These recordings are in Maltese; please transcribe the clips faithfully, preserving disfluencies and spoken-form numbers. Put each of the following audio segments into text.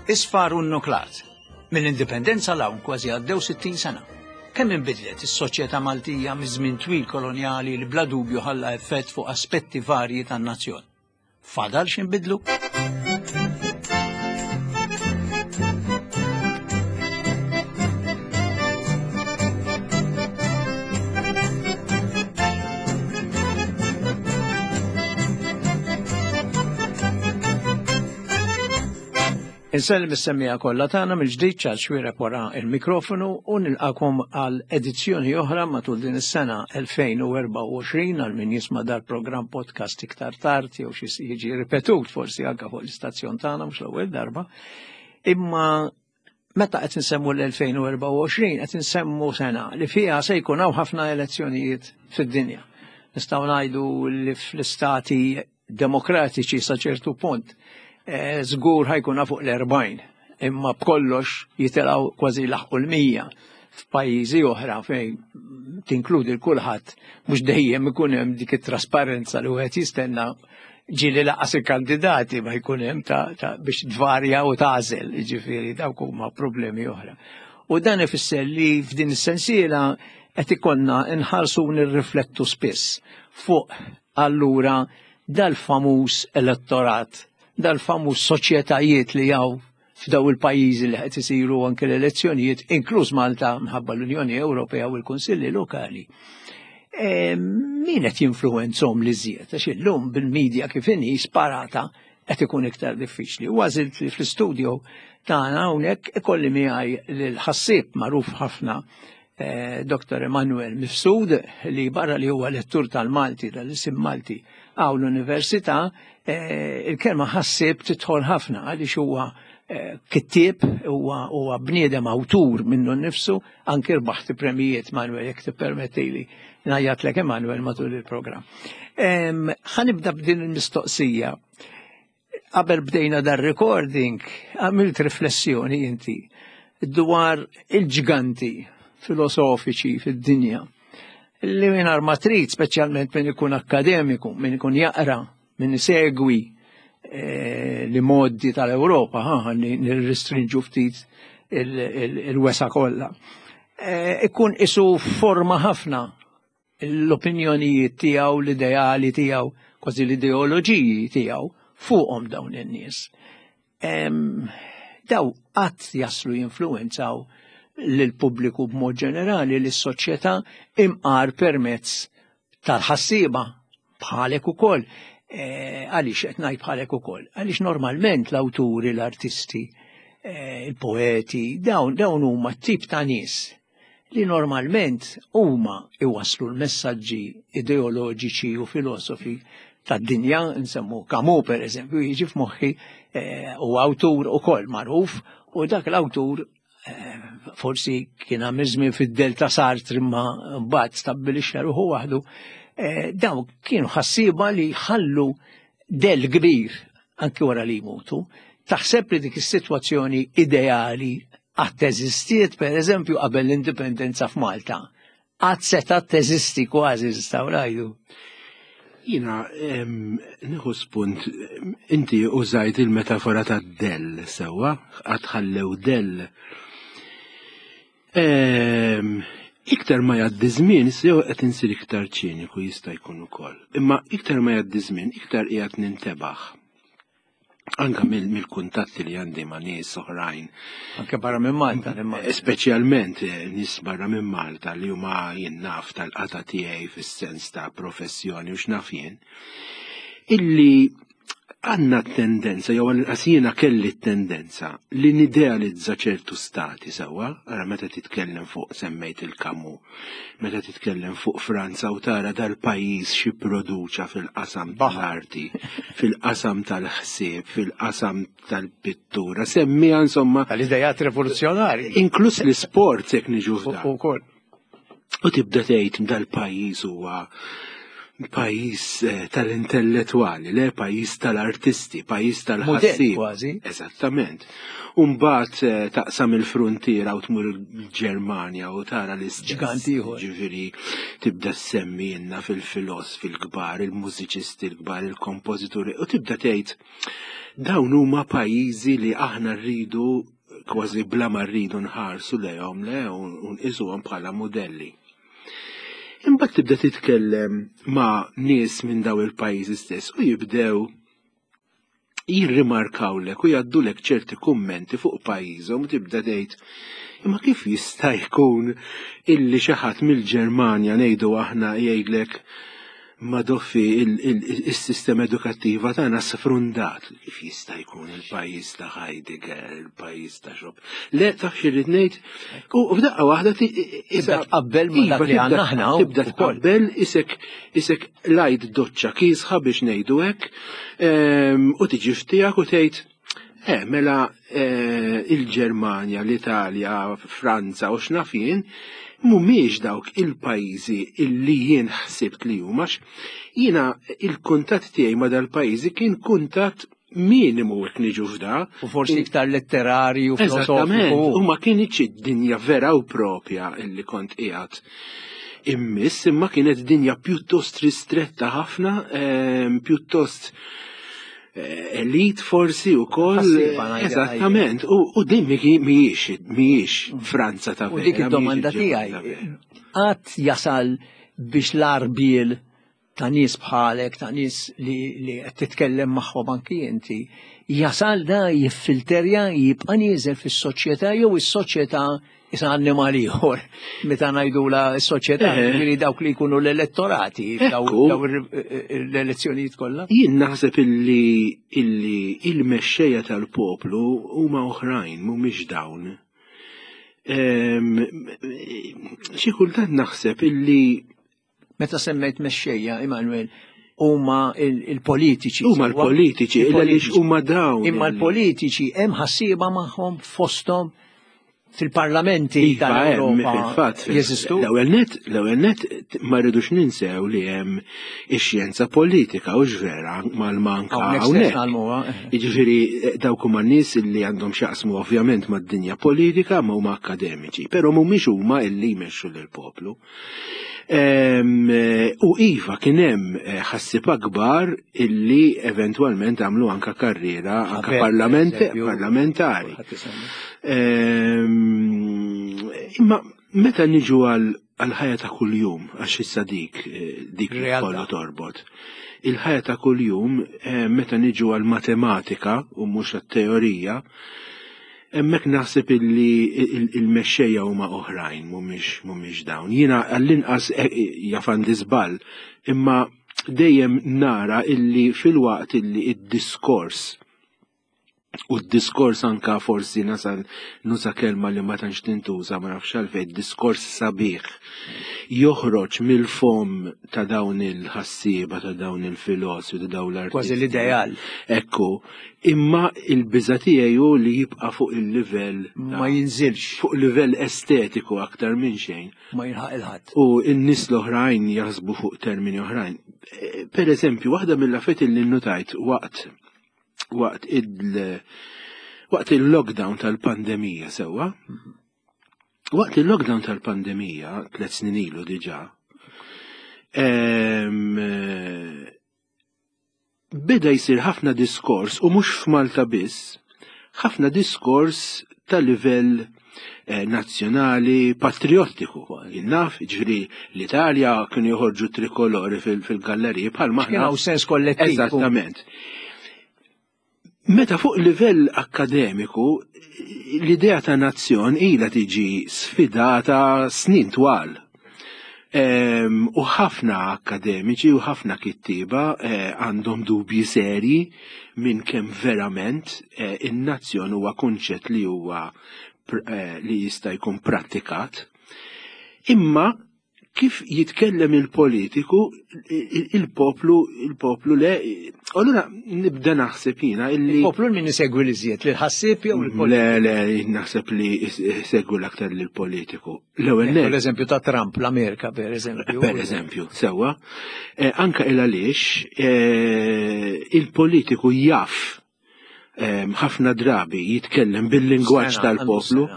Isfar u nnuklat. Mill-indipendenza 'l hawn kważi għaddew sittin sena. Kemm inbidlet is-soċjetà Maltija miż-żmien twil kolonjali li bla dubju ħalla effett fuq aspetti varji tan-nazzjon. Fadal x'inbidlu? Insellem is-semmiegħa kollha tagħna mill-ġdid Charles Xuereb wara il-mikrofonu u nilqakom għal edizzjoni oħra matul din is-sena elfejn u erbgħa u għoxrin għal min jisma' dal-programm podcast iktar tard jew xi jiġi ripetut forsi anke fuq l-istazzjon tagħna mhux l-ewwel darba. Imma meta qed insemmu l-elfejn u erbgħa u għoxrin qed insemmu sena li fiha se jkun hawn ħafna elezzjonijiet fid-dinja. Nistgħu ngħidu li fl-istati demokratiċi sa ċertu punt żgur ħajkun fuq l-erbgħin, imma b'kollox jitilgħu kważi laħqu l-mija f'pajjiżi oħra fejn tinkludi l-kulħadd, mhux dejjem ikun hemm dik it-trasparenza li wieħed jistenna, ġieli laqas il-kandidati ma jkun hemm ta', ta' biex tvarja u tagħżel, jiġifieri dawk huma problemi oħra. U dan ifisser li f'din is-sensiela qed ikollna nħarsu u nirriflettu spiss fuq allura dal-famuż elettorat, dal-famuż soċjetajiet li hawn f'daw il-pajjiżi li qed isiru anke l-elezzjonijiet, inkluż Malta minħabba l-Unjoni Ewropea u l-Kunsilli Lokali. E, min qed jinfluwenzhom li żjed? Għax illum bil-medja kif inhi sparata qed ikun iktar diffiċli. U għażilt li fl-istudio tagħna hawnhekk ikolli miegħi lil ħassieb magħruf ħafna, eh, Doktor Emanuel Mifsud, li barra li huwa lettur tal-Malti, tal-isim Malti hawn l-Università, eh, il-kelma ħassieb tidħol ħafna għaliex huwa, eh, kittieb, huwa, huwa bniedem awtur minnu nnifsu, anki rbaħt premijiet, Manuel, jekk tippermettili ngħajjatlek Emanuel matul il-programm. Em, ħanibda b'din il-mistoqsija. Qabel bdejna dar recording, għamilt riflessjoni inti dwar il-ġganti filosofiċi fid-dinja li mingħajr ma trid, speċjalment min ikun akkademiku, min ikun jaqra, min isegwi, eh, li modi tal-Ewropa, ha, ħalli nirrestrinġu ftit il-, il-, il-wesa kollha. Eh, ikun isu forma ħafna l-opinjonijiet tiegħu, l-ideali tiegħu, kważi l-ideoloġiji tiegħu fuqhom dawn in-nies. Em, daw qatt jaslu jinfluwenzaw lill-pubbliku b'mod ġenerali, lis-soċjetà imqar permezz tal-ħassieba bħalek ukoll. Eh, għaliex qed ngħid bħalek ukoll? Għaliex normalment l-awturi, l-artisti, eh, il-poeti, dawn, dawn huma t-tip ta' nies li normalment huma iwasslu l-messaġġi ideoloġiċi u filosofi tad-dinja, nsemmu Camus per eżempju, jiġi f'moħħi, eh, u awtur ukoll magħruf, u dak l-awtur, eh, forsi kien għamil żmien fid-Delta Sartre imma mbagħad stabbilixxa ruħu waħdu, eh, dawn kienu ħassieba li ħallu del kbir anki wara li jmutu. Taħseb li dik is-sitwazzjoni ideali qatt teżistiet per eżempju qabel l-indipendenza f'Malta? Qatt setgħet teżisti kważi nistgħu ngħidu. Jiena, em, nieħu spunt, inti użajt il-metafora ta' del, sewwa, qatt ħallew del. Em, iktar ma jgħaddi żmien, sew qed insir iktar ċiniku jista' jkun ukoll. Imma iktar ma jgħaddi żmien, iktar qiegħed nintebaħ. Anka mill-, mill-kuntatti li għandi ma' nies oħrajn. Anke barra minn Malta, nimmaġina. Speċjalment, eh, nies barra minn Malta li huma jien naf tal-qata tiegħi fis-sens ta' professjoni u x'naf jien, illi għandna tendenza, jew għal-inqas jiena kelli tendenza li nidealizza ċertu stati sewwa, ara meta titkellem fuq semmejt il-Camus, meta titkellem fuq Franza u tara dal-pajjiż xi produċa fil-qasam tal-arti, fil-qasam tal-ħsieb, fil-qasam tal-pittura, semmija insomma tal-idejat rivoluzzjonari. Inkluż l-isport jekk niġu f'dan. Ukoll. U tibda tgħid dal-pajjiż huwa Pajjiż eh, tal-intellettwali, le pajjiż tal-artisti, pajjiż tal-ħassieb. Kważi. Eżattament. Umbat eh, taqsam il-frontiera u tmur il-Ġermanja u tara l-istess. Ġgant ieħor. Ġifieri tibda semmi jenna fil-filosofi l-kbar, il-mużiċisti l-kbar, il-kompożituri u tibda tgħid dawn huma pajjiżi li aħna rridu kważi bla ma rridu nħarsu lejhom le u nqisuhom bħala modelli. Imbagħad tibda titkellem ma' nies minn daw il-pajjiżi stess u jibdew jirrimarkawlek u jgħaddulek ċerti kummenti fuq pajjiżhom u tibda tgħid imma kif jista' jkun illi xi ħadd mill-Ġermanja ngħidu aħna jgħidlek ma doffi il-sistema edukattiva tagħna sfrundat. Kif jista' jkun il-pajjiż ta' Heidegger, il-pajjiż ta' Xop. Le taf xi ngħid, u f'daqqa waħda tibda tqabbel ma dak li għandna aħna. Tibda tqabbel isek isek lajt doċċa kiesħa biex ngħidu hekk, u tiġi f'tiegħek u tgħid Eh, mela il-Ġermanja, l-Italja, Franza u x'naf jien, mhumiex dawk il-pajjiżi illi jien ħsibt li huma. Jiena il-kuntatt tiegħi ma dal-pajjiżi kien kuntatt minimu jekk niġu f'da. U forsi iktar letterarju, filosofiku. U ma kienx id-dinja vera u propja illi kont qiegħed immiss, imma kienet dinja pjuttost ristretta ħafna, pjuttost elit forsi u koll. Eżattament. U din mhijiex mhijiex Franza ta' vera. U dik id-domanda tiegħi. Qatt jasal biex l-arbiel ta' nies bħalek, ta' nies li qed titkellem magħhom anki inti, jasal da jiffilterja, jibqa' nieżel fis-soċjetà jew is-soċjetà issa annimal ieħor meta ngħidula s-soċjetà, ġifieri dawk li jkunu l-elettorati daw l-elezzjonijiet kollha. Jien naħseb illi illi il-mexxejja tal-poplu huma oħrajn mhumiex dawn. Xi kultant naħseb illi meta semmejt mexxejja, Emanuel, huma il-politiċi. Huma l-politiċi, għaliex huma dawn. Imma l-politiċi hemm ħassieba magħhom fosthom fil-parlamenti tal-Ewropa. Jeżistu? L-ewwel nett, l-ewwel nett ma rridux ninsew li hemm ix-xjenza politika u x'vera mal-manka hawnhekk. Jiġifieri dawk huma nies li għandhom x'jaqsmu ovvjament mad-dinja politika ma huma akademiċi, però mhumiex huma illi jmexxu lill-poplu. U iva kien hemm ħassieb akbar illi eventwalment għamlu anka karriera anka parlamentari. Imma meta niġu għal-ħajja ta' kuljum, għax issa dik dik kollu torbot. Il-ħajja ta' kuljum meta niġu għal-matematika u mhux għat-teorija, hemmhekk naħseb illi il-mexxejja huma oħrajn mhumiex mhumiex dawn. Jiena għall-inqas jaf għandi żball, imma dejjem nara illi fil-waqt illi id-diskors u d-diskors anka forsi nasal nuża kelma li ma tantx tintuża ma nafx għalfejn, diskors sabiħ joħroġ mill-fom ta' dawn il-ħassieba, ta' dawn il-filosofi, ta' dawn l-artisti. Kważi l-ideal. Ekku, imma il-biża' tiegħi hu li jibqa' fuq il-livell ma jinżilx. Fuq livell estetiku aktar minn xejn. Ma jilħaq il-ħadd. U n-nies l-oħrajn jaħsbu fuq termini oħrajn. Per eżempju, waħda mill-affarijiet li nnutajt waqt waqt il waqt il-lockdown tal-pandemija sewwa. Waqt il-lockdown tal-pandemija, tliet snin ilu diġà, beda jsir ħafna diskors, u mhux f'Malta biss, ħafna diskors ta' livell nazzjonali patriottiku. Naf, ġifieri l-Italja kienu joħorġu trikolori fil-galleriji bħal maħna. Kien hawn sens kollettiv. Eżattament. Meta fuq livell akkademiku, l-idea ta' nazzjon ilha tiġi sfidata snin twal. U ħafna akkademiċi u ħafna kittieba għandhom dubji serji minn kemm verament in-nazzjon huwa kunċett li huwa li jista' jkun prattikat. Imma Kif jitkellem il-politiku, il-poplu, il-poplu le, allura nibda naħseb jiena illi. Il-poplu min isegwi l-iżjed, l-ħassieb jew il-politiku? Le, le, naħseb li segwi l-aktar lill-politiku. L-ewwel L-eżempju ta' Trump, l-Amerika, per eżempju. Per eżempju, sewwa. Anka il għaliex il-politiku jaf ħafna drabi jitkellem bil-lingwaġġ tal-poplu.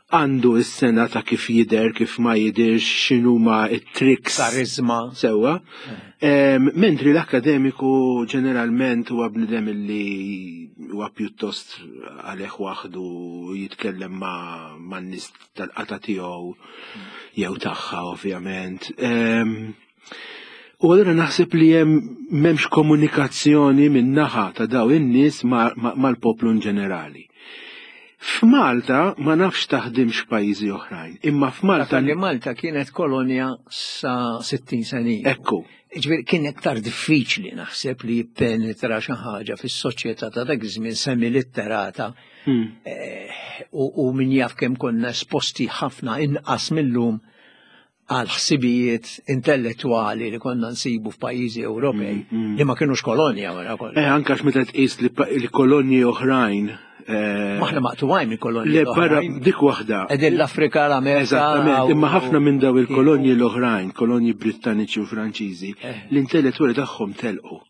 Għandu s-sena ta' kif jider, kif ma jidirx, x'inhuma it-tricks. Karizma. Sewwa. Mentri l-akademiku ġeneralment huwa bniedem li huwa pjuttost għalih waħdu, jitkellem ma' n-nies tal-qata tiegħu jew tagħha ovvjament. U allura naħseb li hemm m'hemmx komunikazzjoni min-naħa ta' daw in-nies mal-poplu in ġenerali. F'Malta ma nafx taħdimx pajjiżi oħrajn, imma f'Malta li Malta kienet kolonja sa sittin sena. Ekku. Ġifieri kien iktar diffiċli naħseb li jippenetra xi ħaġa fis-soċjetà ta' dak iż-żmien semilitterata. U min jaf kemm konna esposti ħafna inqas millum għal ħsibijiet intellettwali li konna nsibu f'pajjiżi Ewropej li ma kienux kolonja wara kollox. Eh, anke meta tqis li kolonji oħrajn. Maħna maqtuwajn minn kolonji Le, barra dik waħda. Qegħdin l-Afrika, l-Amerika. Eżattament, imma ħafna minn daw il-kolonji l-oħrajn, kolonji Brittaniċi u Franċiżi, l-intellettwali tagħhom telqu.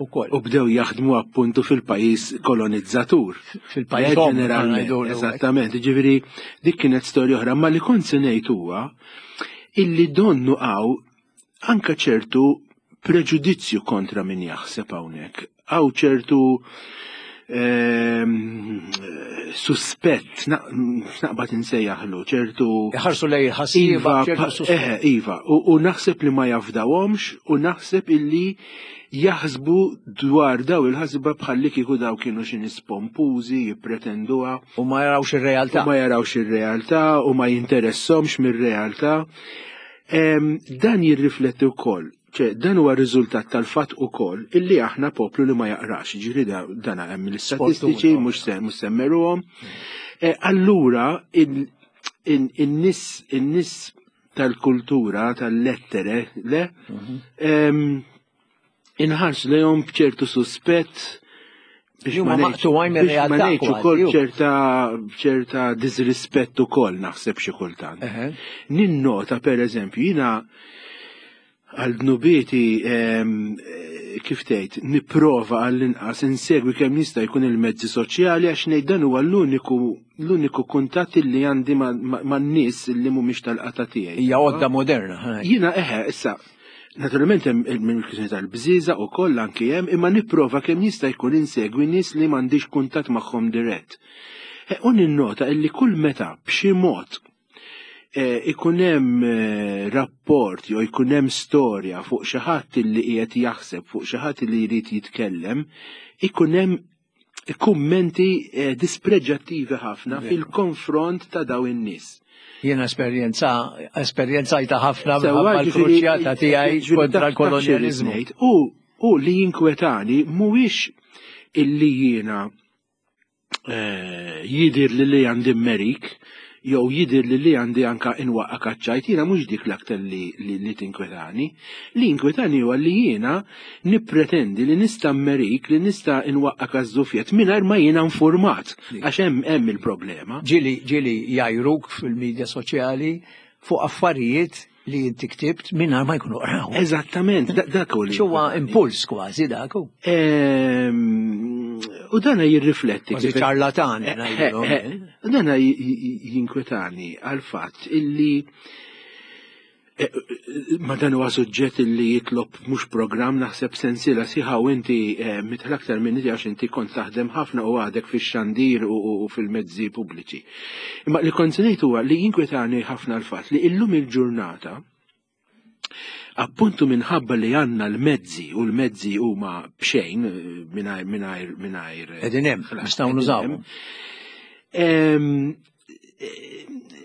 U bdew jaħdmu appuntu fil-pajjiż kolonizzatur. Fil-pajjiż ġeneralment. Eżattament, ġifieri dik kienet storja oħra, ma li kont se ngħid huwa illi donnu hawn anke ċertu preġudizzju kontra min jaħseb hawnhekk. Hawn ċertu suspett, naqbad insejjaħlu, ċertu. Iħarsu lej ħassiba, ċertu suspett. Iva, u naħseb li ma jafdawhomx u naħseb illi jaħsbu dwar daw il-ħasba bħalli kieku daw kienu xi nies pompużi, jippretenduha. U ma jarawx ir-realtà. U ma jarawx ir-realtà u ma jinteressahomx mir-realtà. Dan jirrifletti wkoll. Ċe, dan huwa riżultat tal-fatt ukoll illi aħna poplu li ma jaqrax, ġifieri dan hemm l-istatistiċi mhux mhux semmeruhom. Allura in-nies in-nies tal-kultura, tal-lettere, le, inħarsu lejhom b'ċertu suspett biex ma ngħidx ukoll ċerta ċerta disrispett ukoll naħseb xi kultant. Ninnota pereżempju jiena għal dnubieti kif tgħid nipprova għall-inqas insegwi kemm jista' jkun il-mezzi soċjali għax ngħid dan huwa l-uniku l-uniku kuntatt li għandi man-nies li mhumiex tal-qata tiegħi. Hija għodda moderna. Jiena eħe, issa naturalment hemm il-kwistjoni tal-bżieżaq ukoll anki hemm, imma nipprova kemm jista' jkun insegwi nies li m'għandix kuntatt magħhom dirett. U ninnota illi kull meta b'xi mod ikun hemm rapport jew ikun hemm storja fuq xi ħadd li qiegħed jaħseb, fuq xi ħadd li jrid jitkellem, ikun hemm kummenti dispreġġattivi ħafna fil-konfront ta' daw in-nies. Jiena esperjenza esperjenzajta ħafna minħabba l-kruċjata tiegħi kontra l-kolonjaliżmu. U u li jinkwetani mhuwiex illi jiena jidir li li għandi merik jew jidir li li għandi anka inwaqqa kaċċajt, jiena mhux dik l-aktar li, li, li tinkwetani. Li inkwetani huwa li jiena nippretendi li nista' mmerik, li nista' inwaqqa każżufjet mingħajr ma jiena informat, għax hemm hemm il-problema. Ġieli ġieli jajruk fil-medja soċjali fuq affarijiet li inti ktibt mingħajr ma jkunu qraw. Eżattament, dak hu li. Huwa impuls kważi dak hu. U dana jirrifletti. Kważi ċarlatani. Dana jinkwetani għal fatt illi ma dan huwa suġġett illi jitlob mhux programm naħseb sensiela sieħa u inti mitħel aktar minn għax inti kont taħdem ħafna u għadek fix-xandir u fil-mezzi pubbliċi. Imma li kont ngħid huwa li jinkwetani ħafna l-fatt li illum il-ġurnata appuntu minħabba li għandna l-mezzi u l-mezzi huma b'xejn mingħajr mingħajr mingħajr qegħdin hemm nistgħu nużawhom.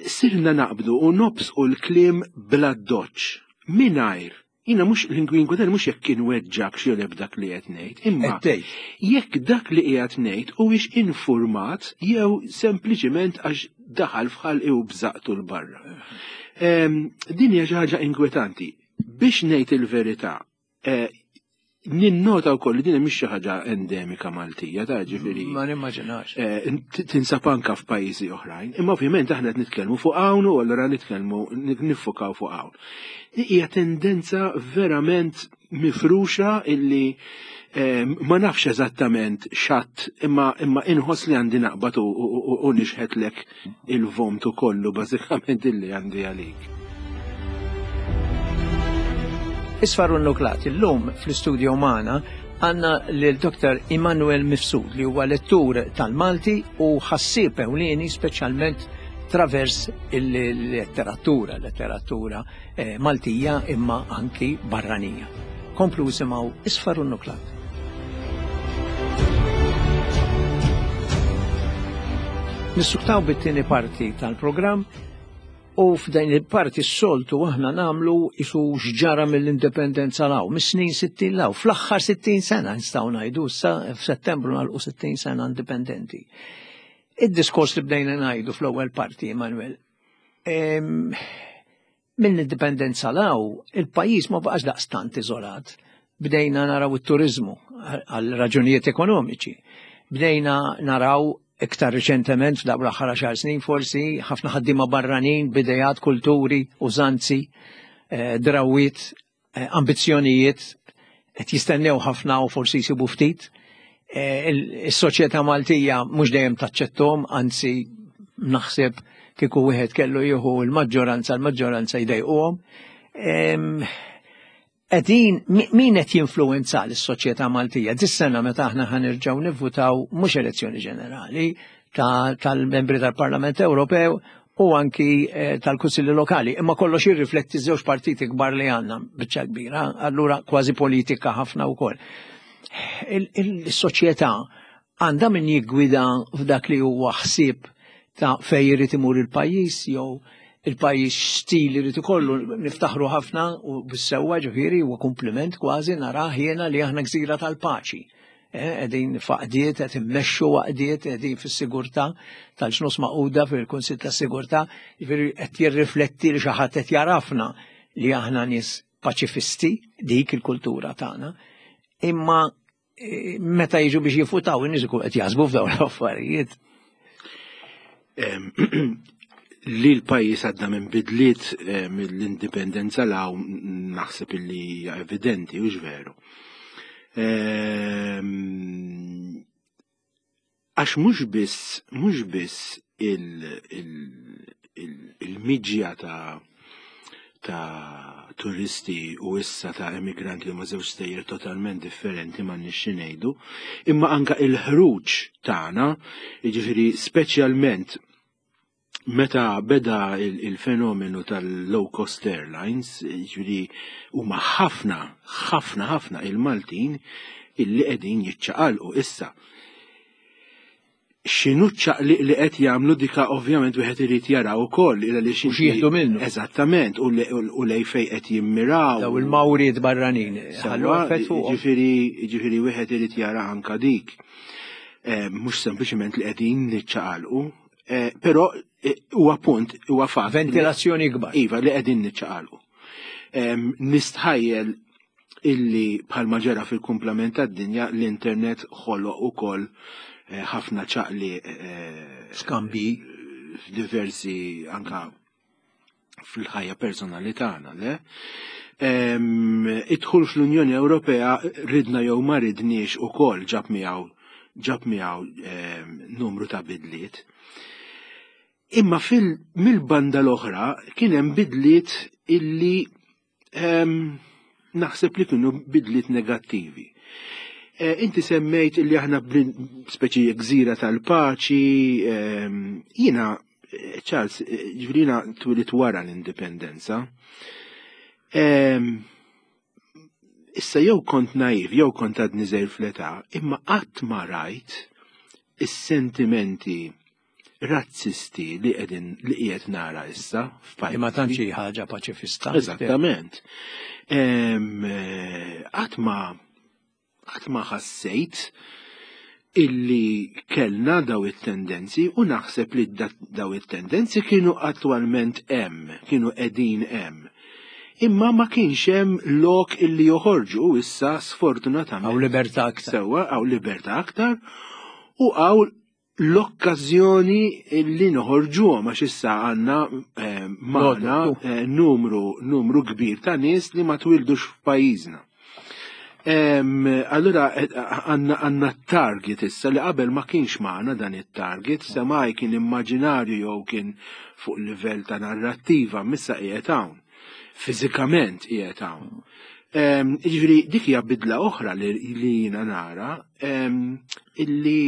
Sirna naqbdu u nobsqu l-kliem bla doċċ mingħajr. Jiena mhux l-inkwinkwetani mhux jekk inweġġak xi joleb dak li qed ngħid, imma jekk dak li qiegħed ngħid huwiex informat jew sempliċiment għax daħal f'ħalqi u bżaqtu l barra. Din hija xi ħaġa inkwetanti. Biex ngħid il-verità, ninnota wkoll li din mhix xi ħaġa endemika Maltija, ta' ġifieri. Ma nimmaġinax. Tinsab anka f'pajjiżi oħrajn. Imma ovvjament aħna qed nitkellmu fuq hawn u allura nitkellmu niffukaw fuq hawn. Hija tendenza verament mifruxa illi ma nafx eżattament xatt, imma imma inħoss li għandi naqbad u nixħetlek il-vomtu kollu bażikament illi għandi għalik. Isfar u Nnuklat, illum fl-istudio magħna għandna lil Doktor Immanuel Mifsud li huwa lettur tal-Malti u ħassieb ewlieni speċjalment travers il-letteratura, letteratura eh, Maltija imma anki barranija. Komplu isimgħu Isfar u Nnuklat. Nissuktaw bit-tieni parti tal-programm u f'din il-parti s-soltu aħna nagħmlu isu x'ġara mill-indipendenza law, mis-snin sittin law, fl-aħħar sittin sena nistgħu ngħidu issa f'Settembru nagħlqu sittin sena indipendenti. Id-diskors li bdejna ngħidu fl-ewwel parti, Emanuel, mill-indipendenza law, il-pajjiż ma baqax daqstant iżolat. Bdejna naraw it-turizmu għal raġunijiet ekonomiċi. Bdejna naraw iktar riċentement f'dawk l-aħħar għaxar snin forsi ħafna ħaddiema barranin b'idejat, kulturi, użanzi, drawiet, ambizzjonijiet qed jistennew ħafna u forsi jsibu ftit. Is-soċjetà Maltija mhux dejjem taċċettom, anzi naħseb kieku wieħed kellu jieħu l-maġġoranza, l-maġġoranza jdejquhom. Qegħdin min qed jinfluwenza lis-soċjetà Maltija? Dis-sena meta aħna ħanerġgħu nivvutaw mhux elezzjoni ġenerali tal-membri tal-Parlament Ewropew u anki tal-Kunsilli Lokali, imma kollox jirrifletti żewġ partiti kbar li għandna biċċa kbira, allura kważi politika ħafna wkoll. Il-soċjetà għandha min jiggwida f'dak li huwa ħsieb ta' fejn irid imur il-pajjiż jew il-pajjiż stil irid ikollu. Niftaħru ħafna u bis-sewwa ġifieri huwa kumpliment kważi narah jiena li aħna gżira tal-paċi. Qegħdin f'għaqdiet, qed immexxu għaqdiet, qegħdin fis-sigurtà tal-ġnus maquda fil-Kunsill tas-Sigurtà, ġifieri qed jirrifletti li xi ħadd qed jarafna li aħna nies paċifisti, dik il-kultura tagħna. Imma meta jiġu biex jifutaw in-nies ikun qed jaħsbu f'dawn l-affarijiet. Li l-pajjiż għadda minn bidliet mill-indipendenza law naħseb illi hija evidenti u veru. Għax mhux biss mhux biss il-miġja ta' ta' turisti u issa ta' emigranti li huma żewġ stejjer totalment differenti m'għandniex xi ngħidu, imma anke il-ħruġ tagħna, jiġifieri speċjalment meta beda il-fenomenu tal-low cost airlines, ġifieri huma ħafna, ħafna, ħafna il-Maltin illi qegħdin jiċċaqalqu issa. X'inhu ċ-ċaqliq li qed jagħmlu dika ovvjament wieħed irid jaraw ukoll illa li xi jieħdu minnu. Eżattament, u lej fejn qed jimmiraw. Daw il-mawriet barranin. Ġifieri ġifieri wieħed irid jara anka dik. Mhux sempliċement li qegħdin niċċaqalqu, però huwa punt, huwa fatt. Ventilazzjoni kbar. Iva, li qegħdin niċċaqalqu. Nistħajjel illi bħalma ġara fil-kumplament tad-dinja l-internet ħoloq ukoll ħafna ċaqli skambi diversi anka fil-ħajja personali tagħna, le? Idħul fl-Unjoni Ewropea ridna jew ma ridniex ukoll ġab miegħu ġab miegħu numru ta' bidliet. Imma fil mill-banda l-oħra kien hemm bidliet illi naħseb li kienu bidliet negattivi. Inti semmejt illi aħna speċi gżira tal-paċi, jiena, Charles, ġifieri jiena twilit wara l-indipendenza. Issa jew kont naiv, jew kont għadni żgħir fl-età, imma qatt ma rajt is-sentimenti razzisti li qegħdin li qiegħed nara issa f'pajjiż. Imma tantx hi ħaġa paċifista. Eżattament. Qatt ma qatt ma ħassejt Illi kellna daw it-tendenzi u naħseb li daw it-tendenzi kienu attwalment hemm, kienu qegħdin hemm. Imma ma kienx hemm lok illi joħorġu issa sfortunatament. Hawn libertà aktar. Sewwa, hawn libertà aktar u hawn l-okkażjoni illi noħorġuhom għax issa għandna eh, magħna eh, numru, numru kbir ta' nies li ma twildux f'pajjiżna. Allura eh, għandna target issa li qabel ma kienx magħna dan it-target, semmai kien immaġinarju jew kien fuq livell ta' narrattiva, m'issa qiegħed hawn. Fiżikament qiegħed hawn. Jiġifieri dik hija bidla oħra li jiena nara illi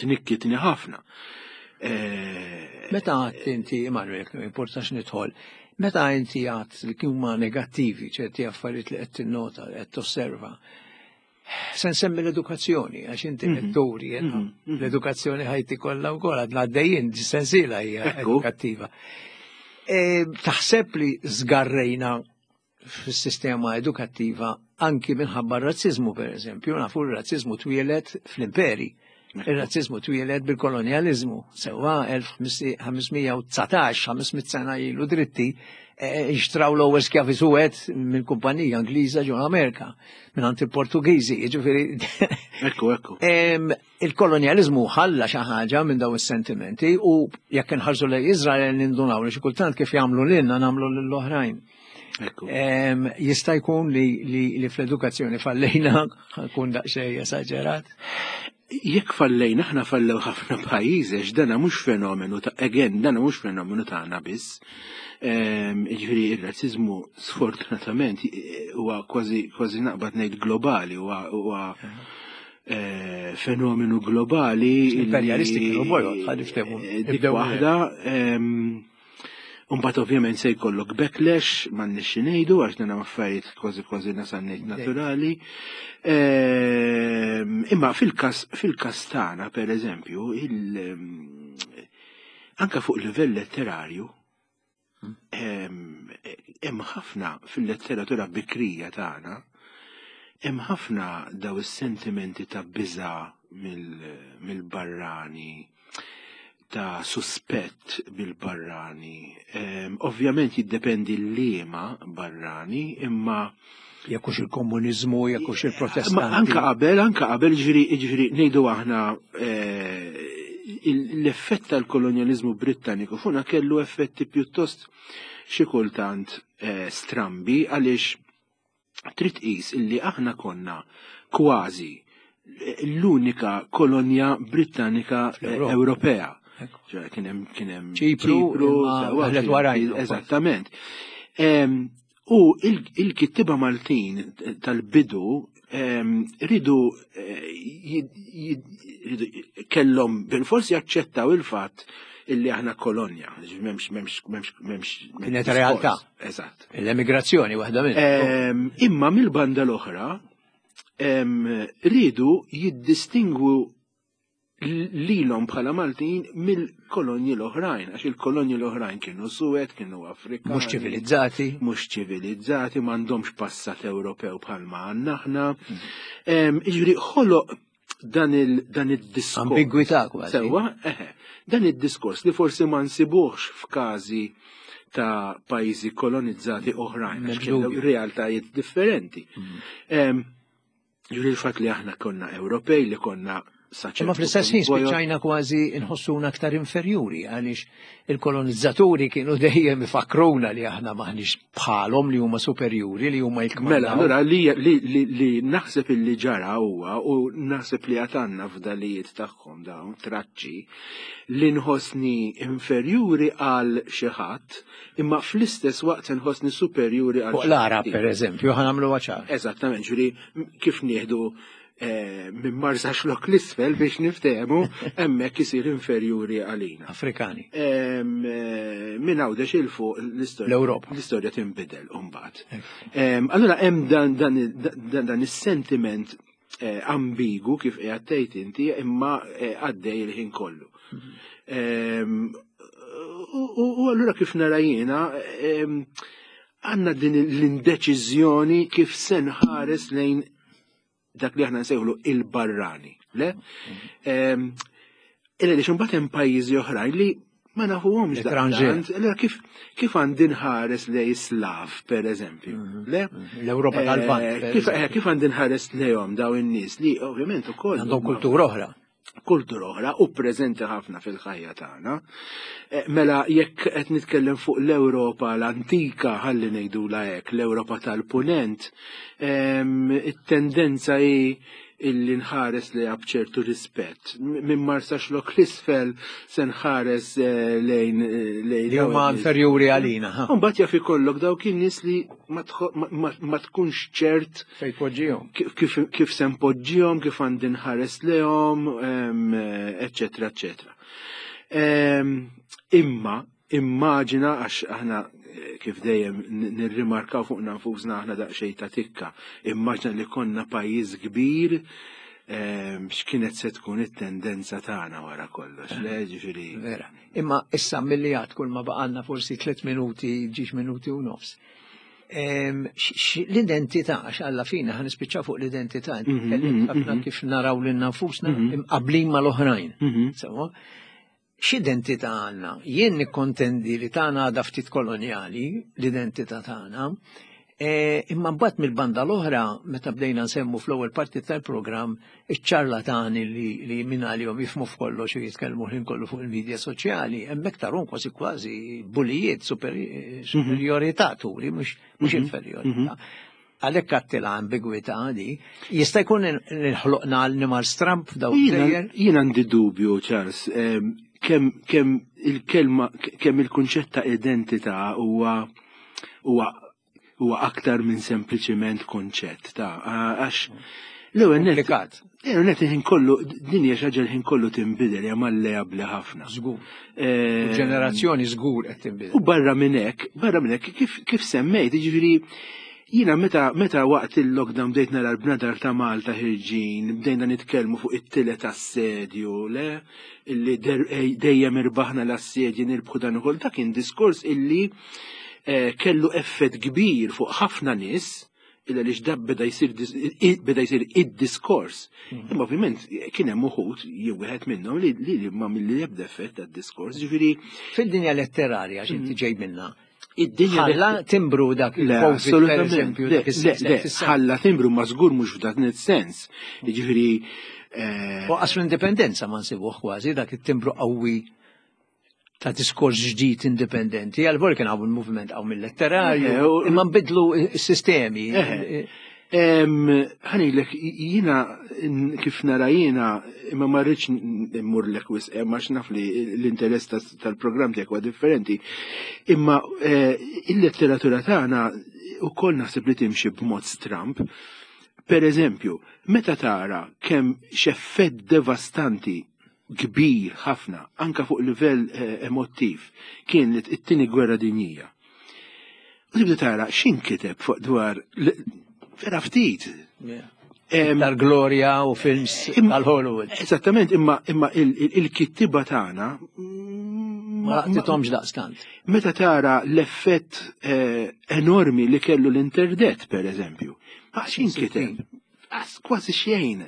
tnikkitni ħafna. Eh, Meta għedt inti, Emanuel, importax nidħol, meta inti għedt li huma negattivi ċerti affarijiet li qed tinnota, qed tosserva, se nsemmi l-edukazzjoni, għax inti mhm. letturi, mhm, mhm. l-edukazzjoni ħajti kollha wkoll għadna għaddejjin, sensiela hija edukattiva. E, taħseb li żgarrejna fis-sistema edukattiva anki minħabba r-razzizmu, per eżempju, nafu r-razzizmu twieled fl-imperi. Il-razzizmu twieled bil-kolonializmu, sewwa elf ħames mija u dsatax, ħames mitt sena ilu dritti, xtraw l-ewwel skjavi suwed minn kumpanija Ingliża ġo Amerika, minn għand il-Portugiżi, jiġifieri. Ekku, ekku. Il-kolonializmu ħalla xi ħaġa minn daw is-sentimenti u jekk inħarsu lejn Izrael nindunaw li xi kultant kif jagħmlu lilna nagħmlu lill-oħrajn. Jista' jkun li, li, li fl-edukazzjoni fallejna, kun daqsxejn esaġerat. Jekk fallejna aħna, fallew ħafna pajjiżi għax dana mhux fenomenu ta' again, dana mhux fenomenu tagħna biss. Jiġifieri ir-razzizmu sfortunatament huwa kważi kważi naqbad ngħid globali, huwa huwa eh, fenomenu globali. Imperialisti kienu bojod, ħa niftehmu. Dik waħda. Imbagħad ovvjament se jkollok backlash, m'għandniex xi ngħidu għax dan affarijiet kważi kważi nasal ngħid naturali. Ehm, imma fil-każ fil-każ tagħna pereżempju, anka fuq livell letterarju, ehm, hemm ħafna fil-letteratura bikrija tagħna, hemm ħafna daw is-sentimenti ta' biża' mill-barrani, ta' suspett bil-barrani. Um, ovvjament jiddependi l-liema barrani, imma Jekk hux il-komunizmu, jekk hux il-protestanti. Anka qabel, anka qabel, ġifieri, ġifieri, ngħidu aħna eh, l-effett tal-kolonializmu Britanniku fuqna kellu effetti pjuttost xi kultant eh, strambi għaliex trid tqis illi aħna konna kważi l-unika kolonja Britannika Ewropea. Kien hemm kien hemm Ċipru, eżattament. U il-kittiba Maltin tal-bidu ridu eh, kellhom bil-forsi jaċċettaw il-fatt illi aħna kolonja. M'hemmx, m'hemmx, m'hemmx, m'hemmx. Kienet realtà. Eżatt. L-emigrazzjoni waħda minn. Imma mill-banda l-oħra ridu jiddistingwu lilhom bħala Maltin mill-kolonji l-oħrajn, għax il-kolonji l-oħrajn kienu suwed, kienu Afrikani. Mhux ċivilizzati. Mhux ċivilizzati, m'għandhomx passat Ewropew bħalma għandna aħna. Jiġifieri ħoloq dan il-diskors. Ambigwità kważi. Sewwa, eħe, dan il-diskors li forsi ma nsibuhx f'każi ta' pajjiżi kolonizzati oħrajn, għax kienu realtajiet differenti. Mm. Ġifieri il-fatt li aħna konna Ewropej, li konna Imma fl-istess ħin spiċċajna kważi nħossuna aktar inferjuri għaliex il-kolonizzaturi kienu dejjem ifakruna li aħna maħniex bħalhom, li huma superjuri, li huma jkmandaw. Mela, allura li, li, li, li naħseb illi ġara huwa u naħseb li għad għandna fdalijiet tagħhom dawn traċċi li nħossni inferjuri għal xi ħadd imma fl-istess waqt nħossni superjuri għal Fuq l-Arab, per eżempju, ħa nagħmlu ċar. Eżattament, ġifieri kif nieħdu eh, minn Marsaxlokk 'l isfel biex niftehmu, hemmhekk isir inferjuri għalina. Afrikani. Em, eh, Minn Għawdex 'il fuq l-istorja. L-Ewropa. L-istorja tinbidel mbagħad. Em, Allura hemm dan dan dan dan is-sentiment eh, ambigu kif qiegħed tgħid inti imma eh, għaddej il-ħin kollu. Em, U u allura kif nara jiena em, għandna din l-indeċiżjoni kif se nħares lejn dak li aħna nsejħlu il-barrani, le? Illa li mbagħad hemm pajjiżi oħrajn li ma nafuhomx daqstant. Allura kif kif għandi nħares lej Slav, per eżempju, le? L-Ewropa tal-Lvant. Kif kif għandi nħares lejhom daw in-nies li ovvjament ukoll għandhom kultura oħra. Kultura oħra u preżenti ħafna fil-ħajja tagħna. Mela jekk qed nitkellem fuq l-Ewropa l-antika, ħalli ngħidulha hekk, l-Ewropa tal-Punent, it-tendenza hi illi nħares li b'ċertu rispett. Minn Marsaxlokk l-isfel se nħares lejn lejn li huma inferjuri għalina. U mbagħad jaf ikollok dawk in-nies li ma tkunx ċert fejn tpoġġihom. Kif se npoġġihom, kif għandi nħares lejhom, eċċetera, eċċetera. Imma immaġina, għax aħna kif dejjem nirrimarkaw fuq nfusna aħna daqsxejn ta' tikka, immaġina li konna pajjiż kbir, x'kienet se tkun it-tendenza tagħna wara kollox, le ġifieri. Vera. Imma issa milli għad kull ma baqalna forsi tliet minuti, ġiex minuti u nofs. L-identità, għax alla fina ħa nispiċċaw fuq l-identità, tkellimt ħafna kif naraw lil nfusna imqablin mal-oħrajn. Sewa? X'identità għandna? Jien nikkontendi li tagħna għadha ftit kolonjali, l-identità tagħna, imma mbagħad mill-banda l-oħra, meta bdejna nsemmu fl-ewwel parti tal-programm iċ-ċarlatani li minn għalihom jifhmu f'kollox u jitkellmu ħin kollu fuq il-medja soċjali, hemmhekk tarhom kważi kważi bulijiet, superjorità turi, mhux inferjorità. Għalhekk għattila ambigwità di, jista' jkun nħloqna għal Nimar Stramp f'daw il-plejer? Jien għandi dubju, Charles, kemm kemm il-kelma, kemm il-kunċett ta' identità huwa huwa huwa aktar minn sempliċiment konċett ta' għax l-ewwel nett l-ewwel nett il-ħin kollu din hija xi ħaġa l-ħin kollu tinbidel, hija malleabbli ħafna. Żgur. Ġenerazzjoni żgur qed tinbidel. U barra minn hekk, barra minn hekk kif kif semmejt, jiġifieri jiena meta meta waqt il-lockdown bdejt nara l-bnadar ta' Malta ħirġin, bdejna nitkellmu fuq it-tielet assedju, le, illi dejjem irbaħna l-assedji nirbħu dan ukoll, dak kien diskors illi kellu effett kbir fuq ħafna nies, illa li x'dab beda jsir beda jsir id-diskors. Imma ovvjament kien hemm uħud jew wieħed minnhom li li ma milli ebda effett tad-diskors, ġifieri fid-dinja letterarja x'inti ġej minnha. Id-dinja ħalla timbru dak il-Covid, per eżempju, dak is-sens. Ħalla timbru ma żgur mhux f'dan is-sens. Jiġifieri U qas l-indipendenza ma nsibuh kważi dak it-timbru qawwi ta' diskors ġdid indipendenti, għal kien hawn il-moviment hawn mill-letterarju, imma nbidlu s-sistemi. Ħanilek, jiena kif nara jiena, imma ma rridx immurlek wisq, għax naf li l-interess tal-programm tiegħek huwa differenti. Imma il-letteratura tagħna wkoll naħseb li timxi b'mod stramp. Per eżempju, meta tara kemm x'effett devastanti kbir ħafna, anka fuq livell emotiv, kien it-tieni gwerra dinjija. U tibda tara x'inkiteb fuq dwar vera ftit. Tal-glorja u films tal-Hollywood. Eżattament, imma imma il-kittiba tagħna ma laqtithomx daqstant. Meta tara l-effett enormi li kellu l-interdet, per eżempju, x'inkiteb? Kważi xejn.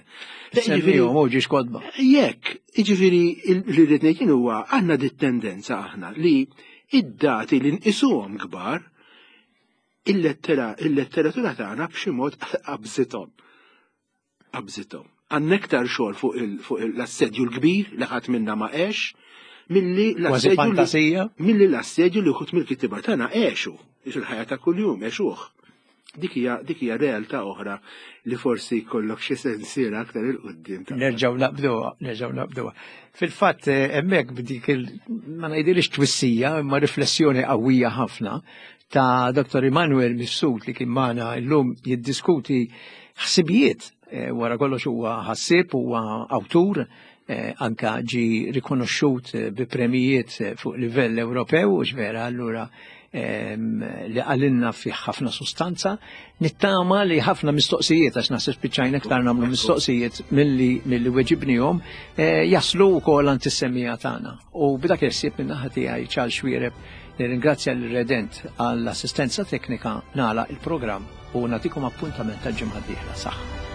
Semmihom u ġiex kodba. Jekk, jiġifieri li rrid ngħid jien huwa għandna dit tendenza aħna li id-dati li nqisuhom kbar il-letteratura tagħna b'xi mod qabżithom. Qabżithom. Għandna iktar xogħol fuq l-assedju l-kbir li ħadd minna ma għex, milli l-assedju milli l-assedju li wħud mill-kittiba tagħna għexu, fil-ħajja ta' kuljum għexuh. Dik hija dik hija realtà oħra li forsi jkollok xi sensiela aktar il quddiem. Nerġgħu naqbduha, nerġgħu naqbduha. Fil-fatt hemmhekk b'dik il ma ngħidilix twissija imma riflessjoni qawwija ħafna ta' Doktor Immanuel Mifsud li kien magħna llum jiddiskuti ħsibijiet, wara kollox huwa ħassieb, huwa awtur, anka ġi rikonoxxut bi premijiet fuq livell Ewropew, u vera allura li għalinna fih ħafna sustanza. Nittama li ħafna mistoqsijiet, għax naħseb spiċċajna iktar nagħmlu mistoqsijiet milli milli weġibnihom, jaslu wkoll għand is-semmiegħa tagħna. U b'dak il-ħsieb minn naħa tiegħi Charles Xuereb nirringrazzja l-Redent għall-assistenza teknika, nagħlaq il-programm u nagħtikom appuntament tal-ġimgħa d-dieħla. Saħħa.